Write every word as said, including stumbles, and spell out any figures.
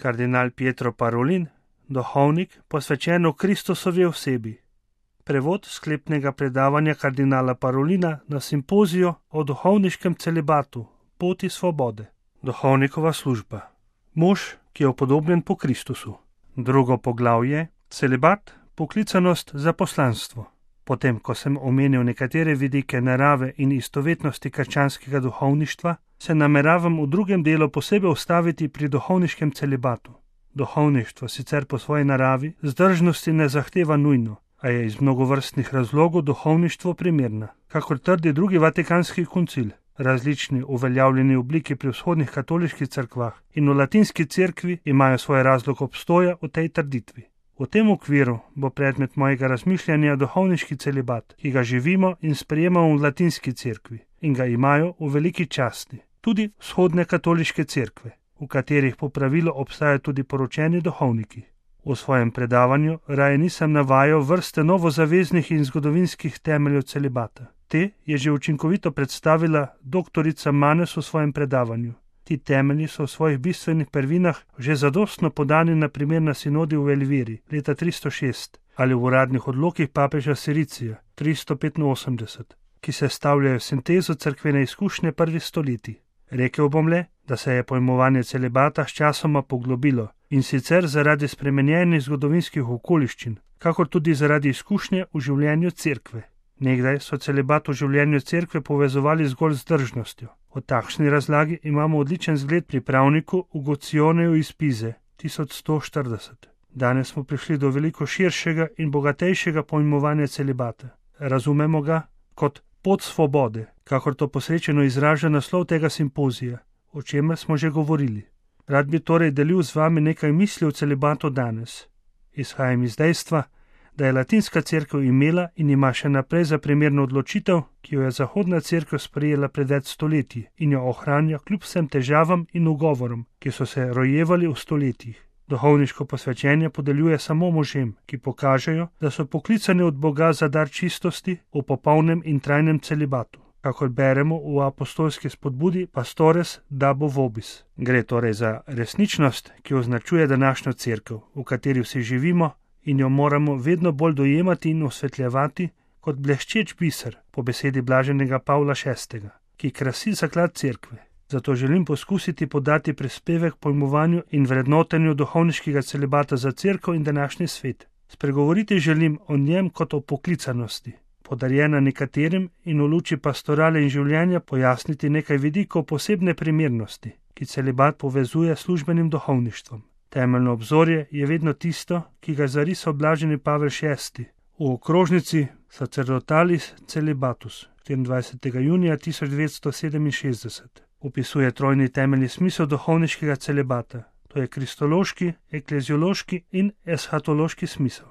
Kardinal Pietro Parolin, duhovnik, posvečen v Kristusovi osebi. Prevod sklepnega predavanja kardinala Parolina na simpoziju o duhovniškem celibatu, poti svobode. Duhovnikova služba. Mož, ki je upodobljen po Kristusu. Drugo poglavje, celibat, poklicanost za poslanstvo. Potem, ko sem omenil nekatere vidike narave in istovetnosti krščanskega duhovništva, se nameravam v drugem delu posebej ustaviti pri duhovniškem celibatu. Duhovništvo sicer po svoji naravi zdržnosti ne zahteva nujno, a je iz mnogovrstnih razlogov duhovništvo primerna, kakor trdi drugi vatikanski koncil. Različni uveljavljeni obliki pri vzhodnih katoliških cerkvah in v latinski cerkvi imajo svoj razlog obstoja v tej trditvi. V tem okviru bo predmet mojega razmišljanja duhovniški celibat, ki ga živimo in sprejemamo v latinski cerkvi in ga imajo v veliki časti tudi vzhodne katoliške cerkve, v katerih po pravilu obstajajo tudi poročeni duhovniki. V svojem predavanju raje nisem navajal vrste novozaveznih in zgodovinskih temeljev celibata. Te je že učinkovito predstavila doktorica Manes v svojem predavanju. Ti temelji so v svojih bistvenih prvinah že zadostno podani na primer na sinodi v Elviri leta tristo šest ali v uradnih odlokih papeža Siricija tristo petinosemdeset, ki sestavljajo sintezo cerkvene izkušnje prvih stoletij. Rekel bom le, da se je pojmovanje celibata sčasoma poglobilo in sicer zaradi spremenjenih zgodovinskih okoliščin, kakor tudi zaradi izkušnje v življenju cerkve. Nekdaj so celibat v življenju cerkve povezovali zgolj z zdržnostjo. O takšni razlagi imamo odličen zgled pri pravniku Ugocioneju iz Pize, tisoč sto štirideset. Danes smo prišli do veliko širšega in bogatejšega pojmovanja celibata. Razumemo ga kot pot svobode, kakor to posrečeno izraža naslov tega simpozija, o čemer smo že govorili. Rad bi torej delil z vami nekaj misli o celibatu danes. Izhajam iz dejstva, da je latinska cerkev imela in ima še naprej za primerno odločitev, ki jo je zahodna cerkev sprejela pred več stoletji in jo ohranja kljub vsem težavam in ugovorom, ki so se rojevali v stoletjih. Duhovniško posvečenje podeljuje samo možem, ki pokažejo, da so poklicani od Boga za dar čistosti v popolnem in trajnem celibatu. Kakor beremo v apostolski spodbudi Pastores dabo vobis. Gre torej za resničnost, ki označuje današnjo cerkev, v kateri vsi živimo in jo moramo vedno bolj dojemati in osvetljevati kot bleščeč biser, po besedi blaženega Pavla šestega, ki krasi zaklad cerkve. Zato želim poskusiti podati prispevek pojmovanju in vrednotenju duhovniškega celibata za cerkev in današnji svet. Spregovoriti želim o njem kot o poklicanosti, podarjena nekaterim, in v luči pastorale in življenja pojasniti nekaj vidikov posebne primernosti, ki celibat povezuje s službenim duhovništvom. Temeljno obzorje je vedno tisto, ki ga zarisal blaženi Pavel šesti v okrožnici Sacerdotalis Celibatus štiriindvajsetega junija tisoč devetsto sedeminšestdeset. Opisuje trojni temeljni smisel duhovniškega celibata, to je kristološki, ekleziološki in eshatološki smisel.